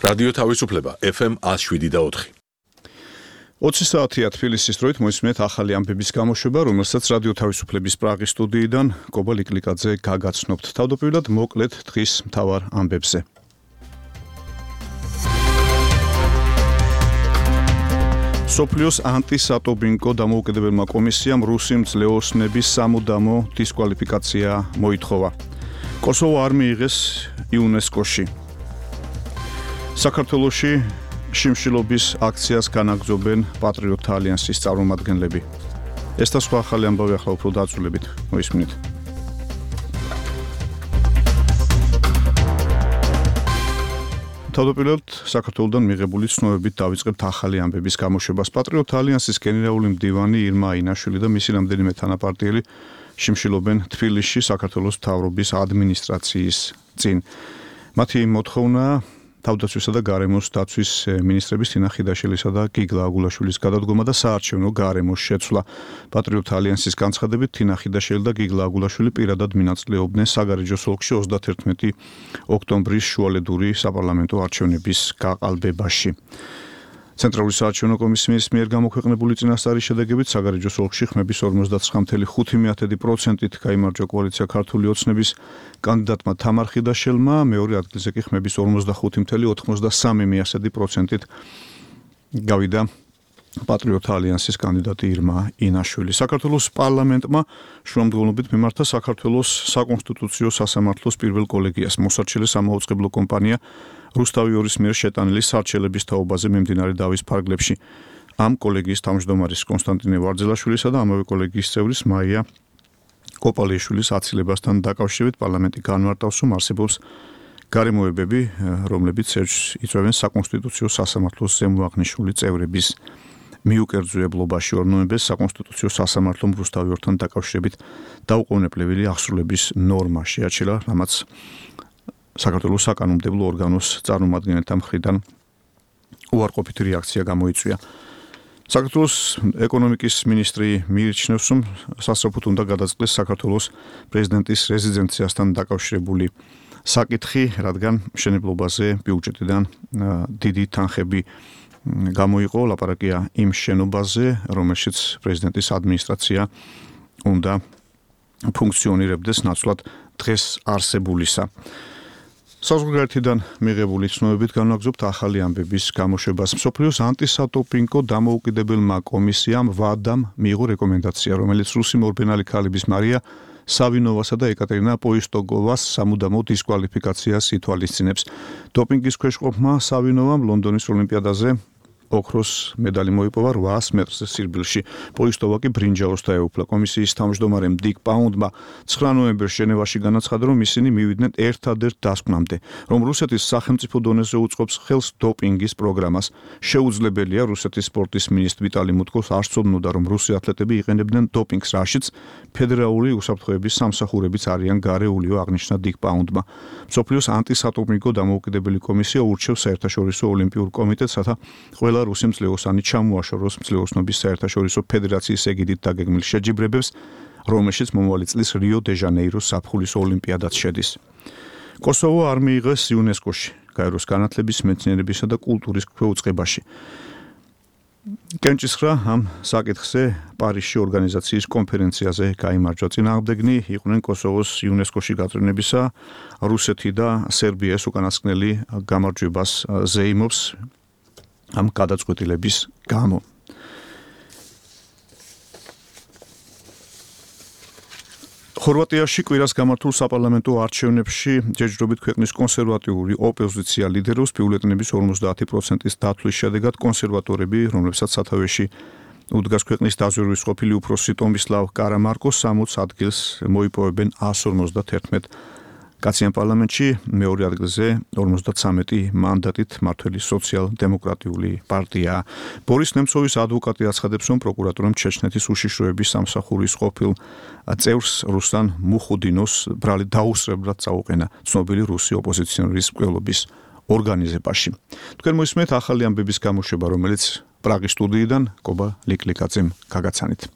რადიო თავისუფლება FM 107.4. 20 საათია თბილისის დროით მოისმენთ ახალი ამბების გამოშვება, რომელსაც რადიო თავისუფლების პრაღის სტუდიიდან კობა ლიკლიკაძე გაგაცნობთ. თავდაპირველად მოკლედ დღის მთავარ ამბებზე. სოფლიოს ანტისატობინკო დამოუკიდებელმა კომისიამ რუსი მძლეოსნების სამუდამო დისკვალიფიკაცია მოითხოვა. კოსოვო არ მიიღეს იუნესკოში. საქართველოში შიმშილობის აქციას განაგრძობენ პატრიოტთა ალიანსის წარმომადგენლები. ეს და სხვა ახალი ამბავი ახლა უფრო დაწვრილებით მოისმინეთ. თავდაპირველად საქართველოდან მიღებული ცნობებით დავიწყებთ ახალი ამბების გამოშვებას. პატრიოტთა ალიანსის გენერალური მდივანი ირმა აინაშვილი და მისი რამდენიმე თანაპარტიელი შიმშილობენ თბილისში საქართველოს მთავრობის ადმინისტრაციის წინ. მათი მოთხოვნა თავდაცვისა და გარემოს დაცვის მინისტრების თინა ხიდაშვილისა და გიგლა აგულაშვილის გადადგომა და საარჩევნო გარემოს შეცვლა. პატრიოტთა ალიანსის განცხადებით თინა ხიდაშვილი და გიგლა აგულაშვილი პირადად მონაწილეობდნენ საგარეჯოს ოლქში 31 ოქტომბრის შუალედური საპარლამენტო არჩევნების გაყალბებაში. ცენტრალური საარჩევნო კომისიის მიერ გამოქვეყნებული წინასწარი შედეგებით საგარეჯოს ოლქში ხმების 59.5%-ით გაიმარჯვა კოალიცია ქართული ოცნების კანდიდატმა თამარ ხიდაშელმა, მეორე ადგილზე კი ხმების 45.93%-ით გავიდა პატრიოტთა ალიანსის კანდიდატი ირმა ინაშვილი. საქართველოს პარლამენტმა შუამდგომლობით მიმართა საქართველოს საკონსტიტუციო სასამართლოს პირველ კოლეგიას. მოსარჩელე სამაუწყებლო კომპანია რუსთავი ორის მიერ შეტანილი სარჩელების თაობაზე მიმდინარე დავის ფარგლებში. ამ კოლეგიის თავმჯდომარის კონსტანტინე ვარძელაშვილისა და ამავე კოლეგიის წევრის მაია კოპალიშვილის აცილებასთან დაკავშირებით პარლამენტი განმარტავს, რომ არსებობს გარემოებები, რომლებიც იწვევენ საკონსტიტუციო სასამართლოს ზემოაღნიშნული წევრების მიუკერძუებლობაში. 2 ნოემბერს საკონსტიტუციო სასამართლომ რუსთავი ორთან დაკავშირებით დაუყოვნებლივი აღსრულების ნორმა შეაჩერა, რამაც საქართველოს საკანონმდებლო ორგანოს წარმომადგენელთა მხრიდან უარყოფითი რეაქცია გამოიწვია. საქართველოს ეკონომიკის მინისტრი მიიჩნევს, რომ სასწრაფოდ უნდა გადაწყდეს საქართველოს პრეზიდენტის რეზიდენციასთან დაკავშირებული საკითხი, რადგან მშენებლობაზე ბიუჯეტიდან დიდი თანხები გამოიყო. ლაპარაკია იმ შენობაზე, რომელშიც პრეზიდენტის ადმინისტრაცია უნდა ფუნქციონირებდეს ნაცვლად დღეს არსებულისა. საზღვარგარეთიდან მიღებული ცნობებით განვაგრძობთ ახალი ამბების გამოშვებას. მსოფლიოს ანტისატოპინკო დამოუკიდებელმა კომისიამ ვადამ მიიღო რეკომენდაცია, რომელიც რუსი მორბენალი ქალების მარია სავინოვასა და ეკატერინა პოისტოგოვას სამუდამო დისკვალიფიკაციას ითვალისწინებს. დოპინგის ქვეშ ყოფმა სავინოვამ ლონდონის ოლიმპიადაზე ოქროს მედალი მოიპოვა 800 მეტრზე სირბილში. პოისტოვა კი ბრინჯაოს დაეუფლა. კომისიის თავმჯდომარემ დიკ პაუნდმა 9 ნოემბერს ჟენევაში განაცხადა, რომ ისინი მივიდნენ ერთადერთ დასკვნამდე, რომ რუსეთის სახელმწიფო დონეზე უწყობს ხელს დოპინგის პროგრამას. შეუძლებელია რუსეთის სპორტის მინისტრ ვიტალი მუტკოს არ სწოდნოდა, რომ რუსი ათლეტები იყენებდნენ დოპინგს, რაშიც ფედერალური უსაფრთხოების სამსახურებიც არიან გარეულიო, აღნიშნა დიკ პაუნდმა. მსოფლიოს ანტისატოპინკო დამოუკიდებელი კომისია ურჩევს საერთაშორისო ოლიმპიურ კომიტეტს, რათა ყველა რუსი მძლეოსანი ჩამოაშოროს მძლეოსნობის საერთაშორისო ფედერაციის ეგიდით დაგეგმილ შეჯიბრებებს, რომელშიც მომავალი წლის რიო-დე-ჟანეიროს ზაფხულის ოლიმპიადაც შედის. კოსოვო არ მიიღეს იუნესკოში, გაეროს განათლების, მეცნიერებისა და კულტურის ქვეუწყებაში. კენჭისხრა ამ საკითხზე პარიზში ორგანიზაციის კონფერენციაზე გაიმარჯვა. წინააღმდეგნი იყვნენ კოსოვოს იუნესკოში გაწვრთნებისა, რუსეთი და სერბია უკანასკნელი გამარჯვებას ზეიმობს ამ გადაწყვეტილების გამო. ხორვატიაში კვირას გამართულ საპარლამენტო არჩევნებში ჯერჯერობით ქვეყნის კონსერვატიული ოპოზიცია ლიდერობს. ბიულეტენების 50%-ის დათვლის შედეგად კონსერვატორები, რომლებსაც სათავეში უდგას ქვეყნის დაზვერვის ყოფილი უფროსი ტომისლავ კარამარკო 60 ადგილს მოიპოვებენ 151 კაციან პარლამენტში, მეორე ადგილზე 53 მანდატით მართველი სოციალ-დემოკრატიული პარტია. ბორის ნემცოვის ადვოკატი აცხადებს, რომ პროკურატურამ ჩეჩნეთის უშიშროების სამსახურის ყოფილ წევრს რუსლან მუხუდინოს ბრალი დაუსწრებლად წაუყენა ცნობილი რუსი ოპოზიციონერის მკვლელობის ორგანიზებაში. თქვენ მოისმენთ ახალი ამბების გამოშვება, რომელიც პრაღის სტუდიიდან კობა ლიკლიკაძემ გაგაცანით.